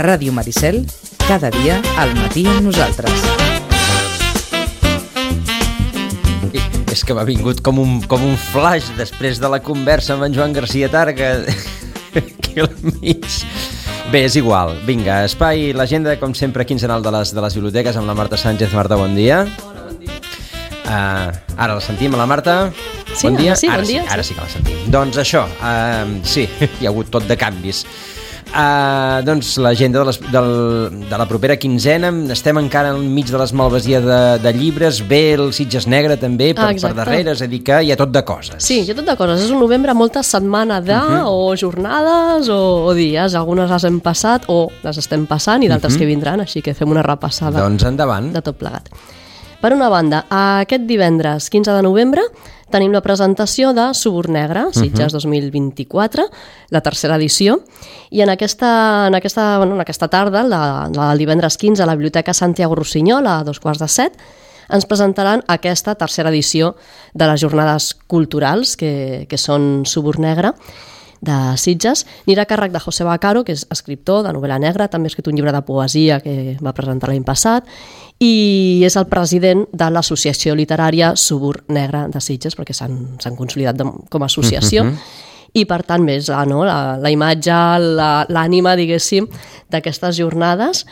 Ràdio Maricel, cada dia al matí amb nosaltres. És que m'ha vingut com un flash després de la conversa amb en Joan Garcia Targa aquí al mig. Bé, és igual. Vinga, espai, l'agenda, com sempre, quinzenal de les biblioteques amb la Marta Sánchez. Marta, bon dia. Hola, bon dia. Ara la sentim, a la Marta. Sí, bon dia. Sí, bon dia. Ara sí que la sentim. Doncs això, sí, hi ha hagut tot de canvis. Doncs l'agenda de la propera quinzena. Estem encara enmig de l'esmalvasia de llibres. Ve el Sitges Negre també per darrere, és a dir que hi ha tot de coses. Sí, hi ha tot de coses. És un novembre, molta setmana o jornades o dies. Algunes les hem passat o les estem passant i d'altres que vindran, així que fem una repassada. Doncs endavant. De tot plegat. Per una banda, aquest divendres 15 de novembre tenim la presentació de Subur Negre, Sitges 2024, la tercera edició, i en aquesta tarda, el divendres 15, a la Biblioteca Santiago Rossinyol, a 6:15, ens presentaran aquesta tercera edició de les jornades culturals, que són Subur Negre, de Sitges. Anirà a càrrec de José Bacaro, que és escriptor de novel·la negra, també ha escrit un llibre de poesia que va presentar l'any passat, i és el president de l'associació literària Subur Negre de Sitges, perquè s'han consolidat com a associació, i per tant més la imatge, l'ànima, diguéssim, d'aquestes jornades.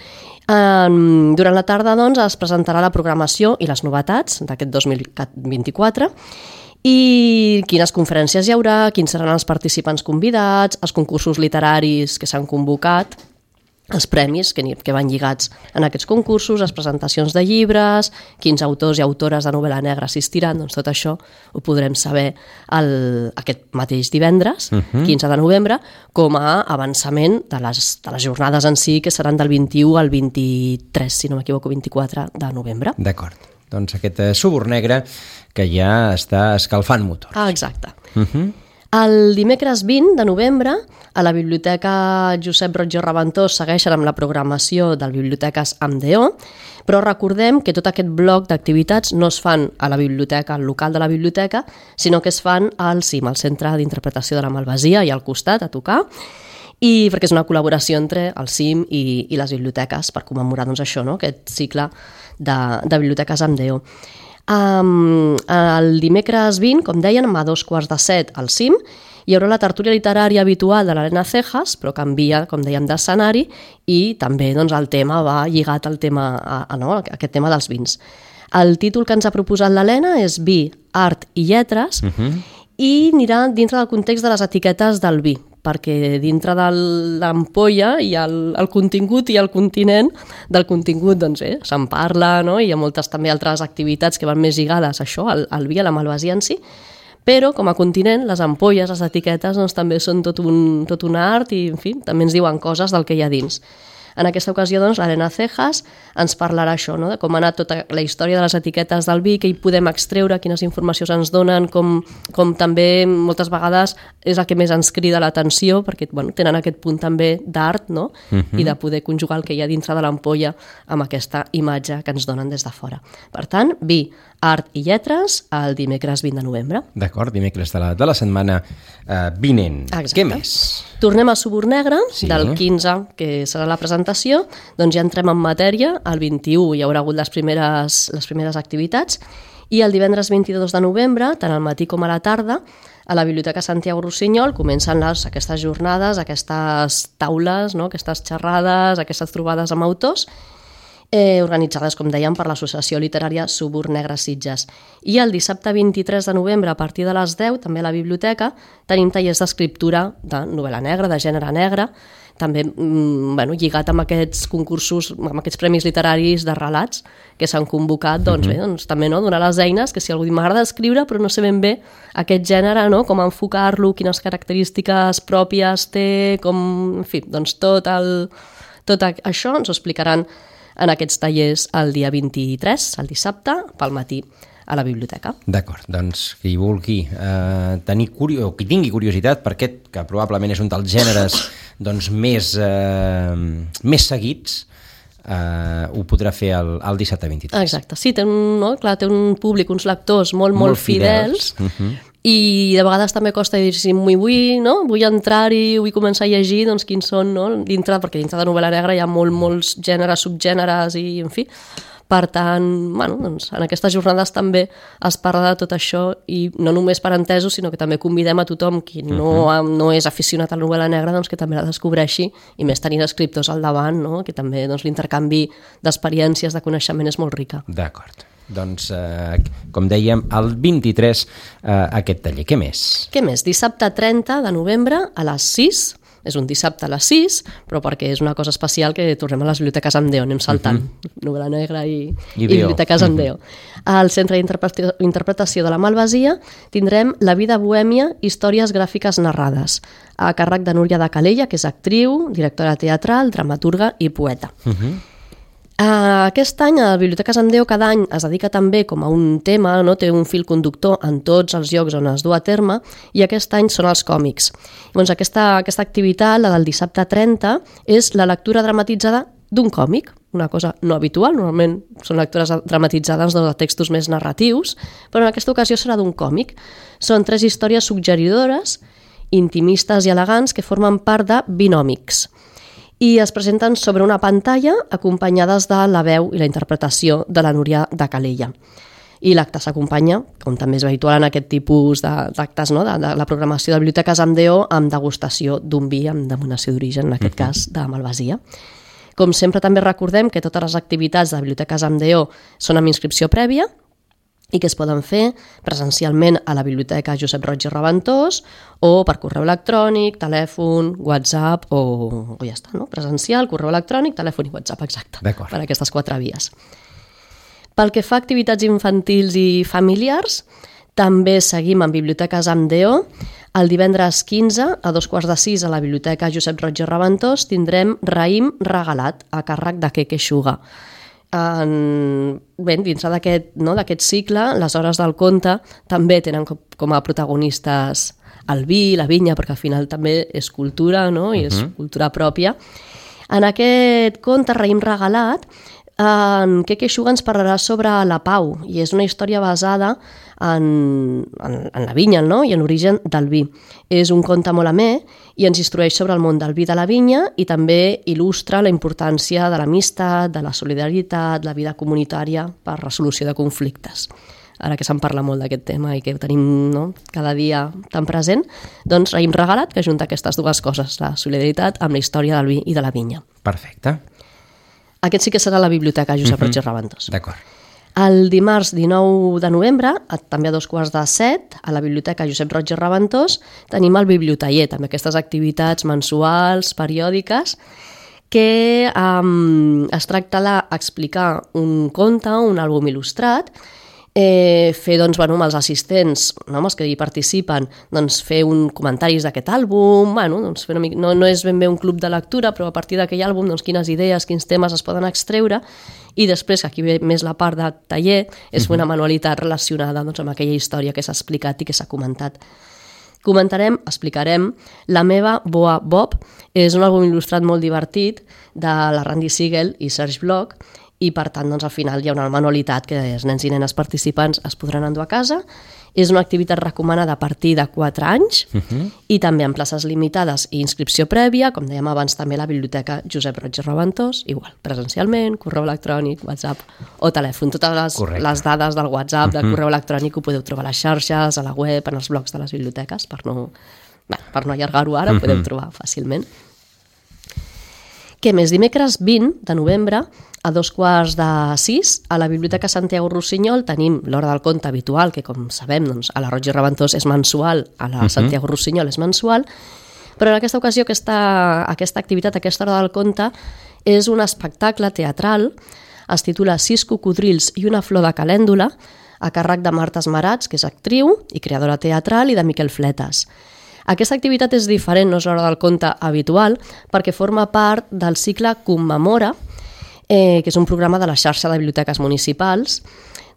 Durant la tarda, doncs, es presentarà la programació i les novetats d'aquest 2024, i quines conferències hi haurà, quins seran els participants convidats, els concursos literaris que s'han convocat, els premis que van lligats en aquests concursos, les presentacions de llibres, quins autors i autores de novel·la negra assistiran, doncs tot això ho podrem saber aquest mateix divendres, 15 de novembre, com a avançament de les jornades en si, que seran del 21 al 23, si no m'equivoco, 24 de novembre. D'acord. Doncs aquest Subur Negre que ja està escalfant motor. Exacte. El dimecres 20 de novembre, a la Biblioteca Josep Roig i Reventós segueixen amb la programació del Biblioteques amb DO, però recordem que tot aquest bloc d'activitats no es fan a la biblioteca, al local de la biblioteca, sinó que es fan al CIM, al Centre d'Interpretació de la Malvasia, i al costat, a tocar, i perquè és una col·laboració entre el CIM i les biblioteques per commemorar això, aquest cicle de biblioteques amb DO. El dimecres 20, com deien, a 6:15 al CIM, hi haurà la tertúlia literària habitual de l'Helena Cejas, però canvia, com dèiem, d'escenari, i també el tema va lligat al tema, aquest tema dels vins. El títol que ens ha proposat l'Helena és Vi, Art i Lletres, i anirà dintre del context de les etiquetes del vi, perquè dintre de l'ampolla hi ha el contingut i el continent. Del contingut se'n parla, i hi ha moltes també altres activitats que van més lligades a això, al vi, a la malvasia en si, però com a continent les ampolles, les etiquetes també són tot un art i en fi, també ens diuen coses del que hi ha dins. En aquesta ocasió, l'Helena Cejas ens parlarà això, de com ha anat tota la història de les etiquetes del vi, què hi podem extreure, quines informacions ens donen, com també moltes vegades és el que més ens crida l'atenció, perquè tenen aquest punt també d'art, i de poder conjugar el que hi ha dintre de l'ampolla amb aquesta imatge que ens donen des de fora. Per tant, vi, art i lletres, el dimecres 20 de novembre. D'acord, dimecres de la setmana vinent. Exacte. Què més? Tornem a Subur Negre, sí. Del 15, que serà la presentació, doncs ja entrem en matèria. El 21 hi haurà hagut les primeres activitats, i el divendres 22 de novembre, tant al matí com a la tarda, a la Biblioteca Santiago Rossinyol comencen aquestes jornades, aquestes taules, aquestes xerrades, aquestes trobades amb autors, organitzades, com dèiem, per l'Associació Literària Subur Negre Sitges. I el dissabte 23 de novembre, a partir de les 10, també a la biblioteca, tenim tallers d'escriptura de novel·la negra, de gènere negre, també lligat amb aquests concursos, amb aquests premis literaris de relats que s'han convocat, també donar les eines, que si algú m'agrada escriure però no sé ben bé aquest gènere, com enfocar-lo, quines característiques pròpies té, en fi, tot això ens ho explicaran en aquests tallers el dia 23, el dissabte, pel matí, a la biblioteca. D'acord, doncs qui vulgui qui tingui curiositat per aquest, que probablement és un dels gèneres més seguits, ho podrà fer el dissabte 23. Exacte, sí, té un públic, uns lectors molt fidels. I de vegades també costa dir si vull entrar-hi, vull començar a llegir, doncs quins són, no? Perquè dintre de novel·la negra hi ha molts gèneres, subgèneres i, en fi. Per tant, doncs, en aquestes jornades també es parla de tot això i no només per entesos, sinó que també convidem a tothom qui no és aficionat a la novel·la negra, doncs, que també la descobreixi, i més tenint escriptors al davant, no? Que també doncs, l'intercanvi d'experiències, de coneixement és molt rica. D'acord. Doncs, com dèiem, el 23 aquest taller. Què més? Què més? Dissabte 30 de novembre a les 6. És un dissabte a les 6, però perquè és una cosa especial que tornem a les biblioteques Andeo, anem saltant. Novel·la negra i biblioteques Andeo. Al Centre d'Interpretació de la Malvasia tindrem La vida bohèmia, històries gràfiques narrades, a càrrec de Núria de Calella, que és actriu, directora teatral, dramaturga i poeta. Aquest any a Biblioteques Andeo cada any es dedica també com a un tema, no? Té un fil conductor en tots els llocs on es du a terme, i aquest any són els còmics. Llavors, aquesta activitat, la del dissabte 30, és la lectura dramatitzada d'un còmic, una cosa no habitual, normalment són lectures dramatitzades de textos més narratius, però en aquesta ocasió serà d'un còmic. Són 3 històries suggeridores, intimistes i elegants, que formen part de Binòmics, i es presenten sobre una pantalla acompanyades de la veu i la interpretació de la Núria de Calella. I l'acte s'acompanya, com també és habitual en aquest tipus d'actes, no? de la programació de Biblioteques Andeo, amb degustació d'un vi amb denominació d'origen, en aquest cas de Malvasia. Com sempre també recordem que totes les activitats de Biblioteques Andeo són amb inscripció prèvia, i que es poden fer presencialment a la Biblioteca Josep Roig i Raventós o per correu electrònic, telèfon, WhatsApp o ja està, no? Presencial, correu electrònic, telèfon i WhatsApp, exacte, per aquestes 4 vies. Pel que fa a activitats infantils i familiars, també seguim amb Biblioteques Andeo. El divendres 15, a 5:45, a la Biblioteca Josep Roig i Raventós, tindrem Raïm regalat, a càrrec de Keke Xuga. Dins d'aquest cicle, les hores del conte també tenen com a protagonistes el vi, la vinya, perquè al final també és cultura, no? I és cultura pròpia. En aquest conte, Raïm regalat, en Keke Xuga ens parlarà sobre la pau, i és una història basada en la vinya, no? I en l'origen del vi. És un conte molt amè i ens instrueix sobre el món del vi de la vinya, i també il·lustra la importància de l'amistat, de la solidaritat, la vida comunitària per resolució de conflictes. Ara que se'n parla molt d'aquest tema i que ho tenim, no? Cada dia tan present, doncs Raïm regalat, que junta aquestes 2 coses, la solidaritat amb la història del vi i de la vinya. Perfecte. Aquest sí que serà la Biblioteca Josep Roig i Raventós. D'acord. El dimarts 19 de novembre, també a 2:45, a la Biblioteca Josep Roig i Raventós, tenim el Bibliotaller, també aquestes activitats mensuals, periòdiques, que es tracta d'explicar un conte, un àlbum il·lustrat, fer amb els assistents, amb els que hi participen, fer comentaris d'aquest àlbum, no és ben bé un club de lectura, però a partir d'aquell àlbum quines idees, quins temes es poden extreure, i després, aquí ve més la part de taller, és fer una manualitat relacionada amb aquella història que s'ha explicat i que s'ha comentat. Explicarem La meva boa Bob, és un àlbum il·lustrat molt divertit de la Randy Siegel i Serge Bloch, i per tant al final hi ha una manualitat que els nens i nenes participants es podran endur a casa. És una activitat recomanada a partir de 4 anys i també amb places limitades i inscripció prèvia, com dèiem abans també a la Biblioteca Josep Roig i Raventós, igual, presencialment, correu electrònic, WhatsApp o telèfon. Totes les dades del WhatsApp, del correu electrònic ho podeu trobar a les xarxes, a la web, en els blogs de les biblioteques, per no allargar-ho ara, ho podeu trobar fàcilment. Què més? Dimecres 20 de novembre, a 5:45, a la Biblioteca Santiago Rossinyol tenim l'Hora del Conte habitual, que com sabem a la Roig i Raventós és mensual, a la Santiago Rossinyol és mensual, però en aquesta ocasió aquesta activitat, aquesta Hora del Conte, és un espectacle teatral, es titula 6 cocodrils i una flor de calèndula, a càrrec de Marta Esmerats, que és actriu i creadora teatral, i de Miquel Fletes. Aquesta activitat és diferent, no és l'Hora del Conte habitual, perquè forma part del cicle Commemora, que és un programa de la xarxa de biblioteques municipals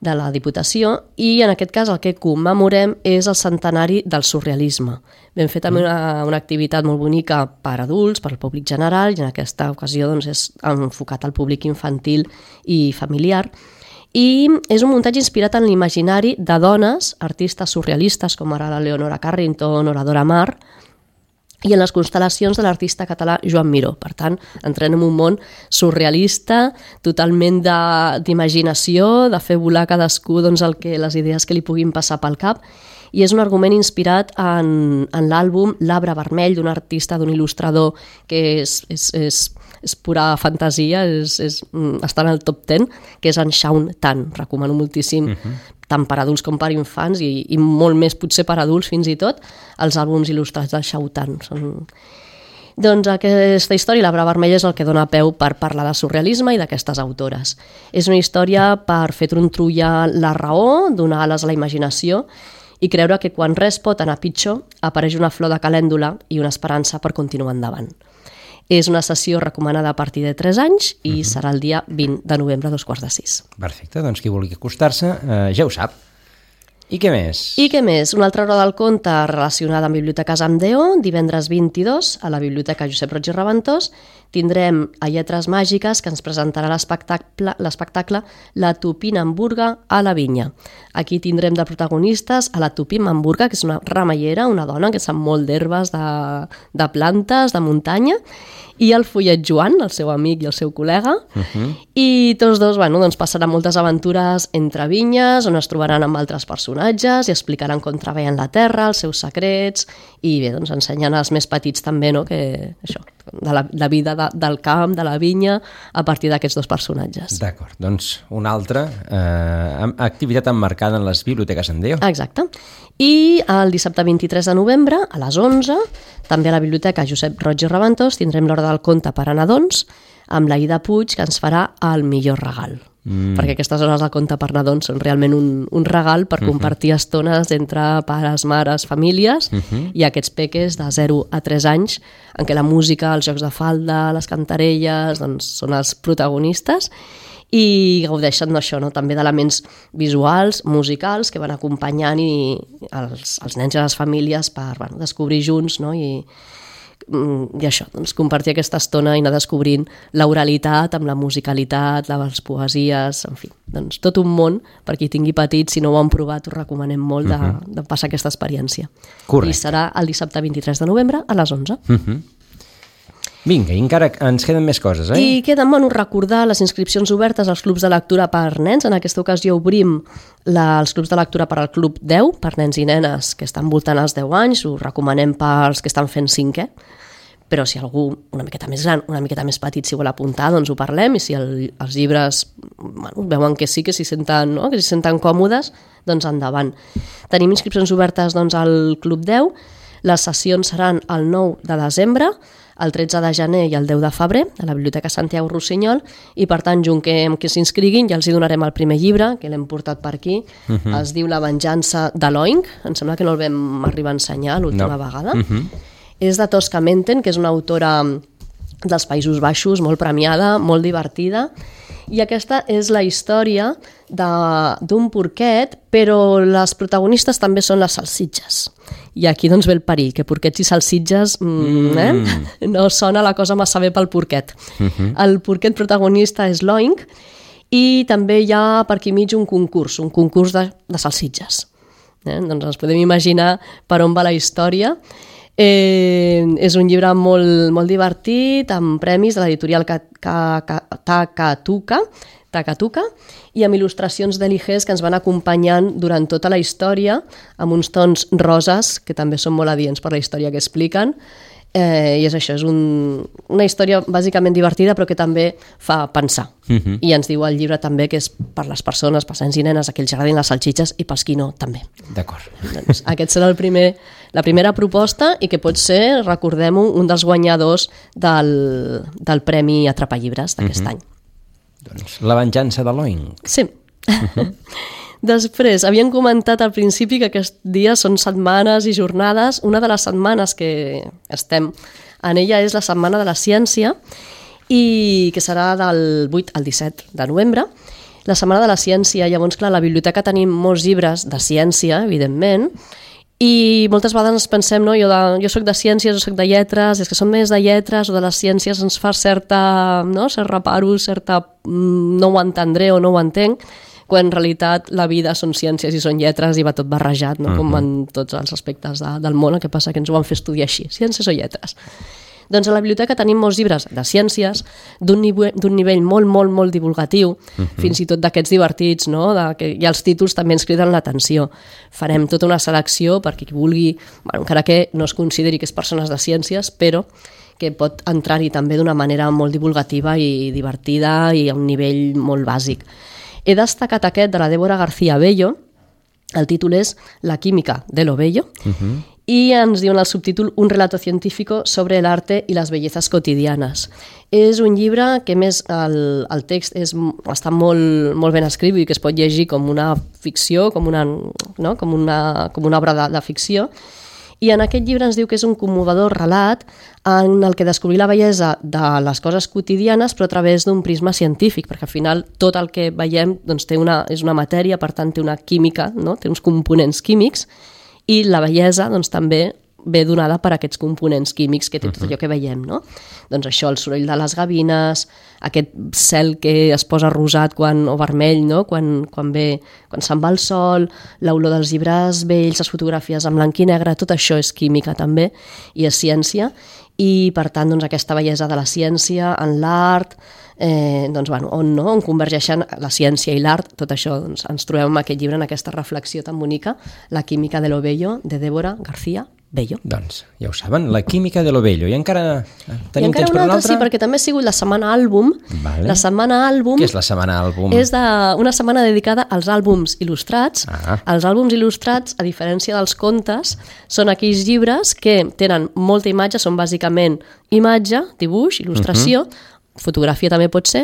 de la Diputació, i en aquest cas el que commemorem és el centenari del surrealisme. Vam fer també una activitat molt bonica per adults, per al públic general, i en aquesta ocasió doncs, és enfocat al públic infantil i familiar. I és un muntatge inspirat en l'imaginari de dones, artistes surrealistes com ara la Leonora Carrington o la Dora Maar, i en les constel·lacions de l'artista català Joan Miró. Per tant, entrem en un món surrealista, totalment d'imaginació, de fer volar cadascú doncs, les idees que li puguin passar pel cap, i és un argument inspirat en l'àlbum L'Arbre Vermell, d'un artista, d'un il·lustrador que és pura fantasia, està en el top 10, que és en Shaun Tan. Recomano moltíssim, tant per adults com per infants, i molt més potser per adults fins i tot, els àlbums il·lustrats del Shaun Tan. Doncs aquesta història, L'Arbre Vermell, és el que dona peu per parlar de surrealisme i d'aquestes autores. És una història per fer trontollar la raó, donar ales a la imaginació i creure que quan res pot anar pitjor, apareix una flor de calèndula i una esperança per continuar endavant. És una sessió recomanada a partir de 3 anys i serà el dia 20 de novembre a 5:45. Perfecte, doncs qui vulgui acostar-se ja ho sap. I què més? I què més? Una altra hora del conte relacionada amb Biblioteques amb DO, divendres 22 a la Biblioteca Josep Roig i Reventós. Tindrem a Lletres Màgiques, que ens presentarà l'espectacle La Tupinamburga a la Vinya. Aquí tindrem de protagonistes a la Tupinamburga, que és una ramallera, una dona que sap molt d'herbes, de plantes, de muntanya, i el Follet Joan, el seu amic i el seu col·lega, i tots dos doncs passaran moltes aventures entre vinyes, on es trobaran amb altres personatges i explicaran com treballen la terra, els seus secrets, i bé, doncs ensenyen als més petits també, no?, que això, de la vida del camp, de la vinya, a partir d'aquests dos personatges. D'acord, doncs una altra activitat emmarcada en les biblioteques en DO. Exacte. I el dissabte 23 de novembre, a les 11, també a la Biblioteca Josep Roig i Reventós, tindrem l'hora del conte per a nadons, amb la Ida Puig, que ens farà el millor regal. Perquè aquestes hores del conte per nadons són realment un regal per compartir estones entre pares, mares, famílies, i aquests peques de 0 a 3 anys, en què la música, els jocs de falda, les cantarelles, doncs són els protagonistes, i gaudeixen d'això, no?, també d'elements visuals, musicals, que van acompanyant els nens i les famílies per descobrir junts, no?, i això, doncs, compartir aquesta estona i anar descobrint l'oralitat amb la musicalitat, les poesies, en fi, doncs tot un món per qui tingui petits. Si no ho han provat, us recomanem molt de passar aquesta experiència. Correcte. I serà el dissabte 23 de novembre a les 11. Vinga, i encara ens queden més coses, I queden, recordar les inscripcions obertes als clubs de lectura per nens. En aquesta ocasió obrim els clubs de lectura per al Club 10, per nens i nenes que estan voltant els 10 anys. Ho recomanem pels que estan fent 5è, però si algú una miqueta més gran, una miqueta més petit, si vol apuntar, doncs ho parlem, i si els llibres veuen que sí, que s'hi senten, no?, que s'hi senten còmodes, doncs endavant. Tenim inscripcions obertes doncs, al Club 10. Les sessions seran el 9 de desembre, el 13 de gener i el 10 de febrer a la Biblioteca Santiago Rossinyol, i per tant, junt que s'inscriguin, ja els hi donarem el primer llibre, que l'hem portat per aquí. Es diu La venjança de l'Oink. Em sembla que no el vam arribar a ensenyar l'última vegada. És de Tosca Menten, que és una autora dels Països Baixos, molt premiada, molt divertida, i aquesta és la història d'un porquet, però les protagonistes també són les salsitxes. I aquí doncs ve el perill, que porquets i salsitxes no sona la cosa massa bé pel porquet. El porquet protagonista és l'Oink, i també hi ha per aquí mig un concurs de salsitxes. Doncs ens podem imaginar per on va la història. És un llibre molt divertit, amb premis de l'editorial Takatuka, i amb il·lustracions d'Eligés que ens van acompanyant durant tota la història, amb uns tons roses que també són molt adients per la història que expliquen. I és això, és una història bàsicament divertida, però que també fa pensar. I ens diu el llibre també que és per les persones, per nens i nenes, a qui els agradin les salsitxes, i pels qui no, també. D'acord. Doncs aquest serà la primera proposta, i que pot ser, recordem-ho, un dels guanyadors del Premi Atrapallibres d'aquest any. Doncs La venjança de l'Oink. Sí. Després, havíem comentat al principi que aquests dies són setmanes i jornades. Una de les setmanes que estem en ella és la Setmana de la Ciència, i que serà del 8 al 17 de novembre. La Setmana de la Ciència. Llavors, clar, a la biblioteca tenim molts llibres de ciència, evidentment, i moltes vegades ens pensem, no? Jo soc de ciències, jo soc de lletres, és que som més de lletres o de les ciències ens fa certa, no? Cert reparo, certa no ho entendré o no ho entenc, quan en realitat la vida són ciències i són lletres i va tot barrejat, no? Com en tots els aspectes del món, el que passa que ens ho van fer estudiar així, ciències o lletres. Doncs a la biblioteca tenim molts llibres de ciències, d'un nivell molt, molt, molt divulgatiu, fins i tot d'aquests divertits, no? I els títols també ens criden l'atenció. Farem tota una selecció perquè qui vulgui, bueno, encara que no es consideri que és persones de ciències, però que pot entrar-hi també d'una manera molt divulgativa i divertida i a un nivell molt bàsic. He destacat aquest de la Débora García Bello, el títol és La química de lo bello, i ens diuen el subtítol Un relato científico sobre el arte y las bellezas cotidianas. És un llibre que més el text està molt ben escrit i que es pot llegir com una ficció, com una obra de ficció, i en aquest llibre ens diu que és un commovedor relat en el que descobrir la bellesa de les coses quotidianes però a través d'un prisma científic, perquè al final tot el que veiem doncs, és una matèria, per tant té una química, no? Té uns components químics, i la bellesa doncs, també ve donada per aquests components químics que té tot allò que veiem, no? Doncs això, el soroll de les gavines, aquest cel que es posa rosat o vermell, no? Quan se'n va el sol, l'olor dels llibres vells, les fotografies en blanc i negre, tot això és química també i és ciència, i per tant doncs, aquesta bellesa de la ciència en l'art, on convergeixen la ciència i l'art, tot això doncs, ens trobem en aquest llibre, en aquesta reflexió tan bonica, La química de lo bello, de Débora García Bello. Doncs ja ho saben, La química de lo bello. I encara tenim temps per un altre? Sí, perquè també ha sigut la setmana àlbum. Vale. La setmana àlbum... Què és la setmana àlbum? És una setmana dedicada als àlbums il·lustrats. Els àlbums il·lustrats, a diferència dels contes, són aquells llibres que tenen molta imatge, són bàsicament imatge, dibuix, il·lustració, fotografia també pot ser,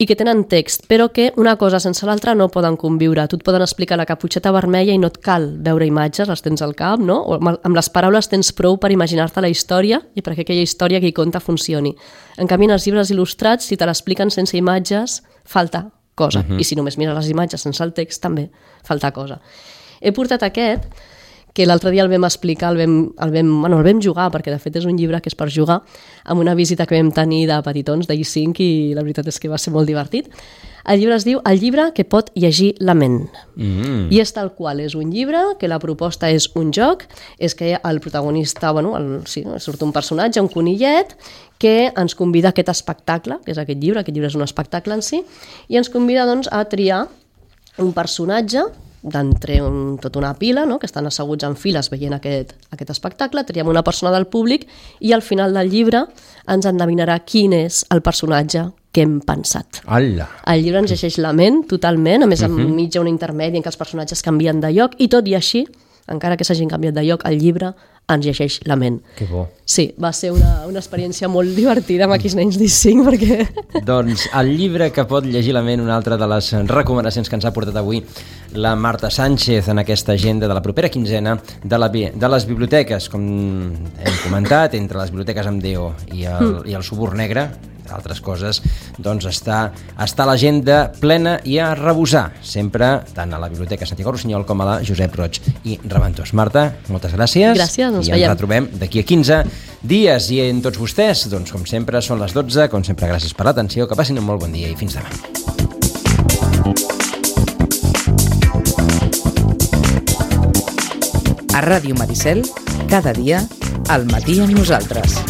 i que tenen text, però que una cosa sense l'altra no poden conviure. Tu et poden explicar la caputxeta vermella i no et cal veure imatges, les tens al cap, no? O amb les paraules tens prou per imaginar-te la història i perquè aquella història que hi conta funcioni. En canvi, en els llibres il·lustrats, si te l'expliquen sense imatges, falta cosa. I si només mires les imatges sense el text, també falta cosa. He portat aquest, que l'altre dia el vam explicar, el vam jugar, perquè de fet és un llibre que és per jugar, amb una visita que vam tenir de petitons d'I5 i la veritat és que va ser molt divertit. El llibre es diu El llibre que pot llegir la ment. I és tal qual, és un llibre que la proposta és un joc, és que el protagonista, surt un personatge, un conillet, que ens convida a aquest espectacle, que és aquest llibre és un espectacle en si, i ens convida doncs, a triar un personatge d'entre tota una pila, no? Que estan asseguts en files veient aquest espectacle, triem una persona del públic i al final del llibre ens endevinarà quin és el personatge que hem pensat. Hola. El llibre ens llegeix la ment totalment, a més enmig hi ha un intermedi en què els personatges canvien de lloc i tot i així, encara que s'hagin canviat de lloc, el llibre ens llegeix la ment. Que bo. Sí, va ser una experiència molt divertida amb aquells nens d'I5 perquè... Doncs el llibre que pot llegir la ment, una altra de les recomanacions que ens ha portat avui la Marta Sánchez en aquesta agenda de la propera quinzena de les biblioteques, com hem comentat, entre les biblioteques amb DO i el Suburn Negre, altres coses, doncs està l'agenda plena i a rebosar, sempre tant a la Biblioteca Santiago Rossinyol com a la Josep Roig i Reventós. Marta, moltes gràcies. Gràcies, ens veiem. I ens retrobem d'aquí a 15 dies. I en tots vostès, doncs com sempre, són les 12, com sempre, gràcies per l'atenció, que passin un molt bon dia i fins demà. A Ràdio Maricel, cada dia, al matí amb nosaltres.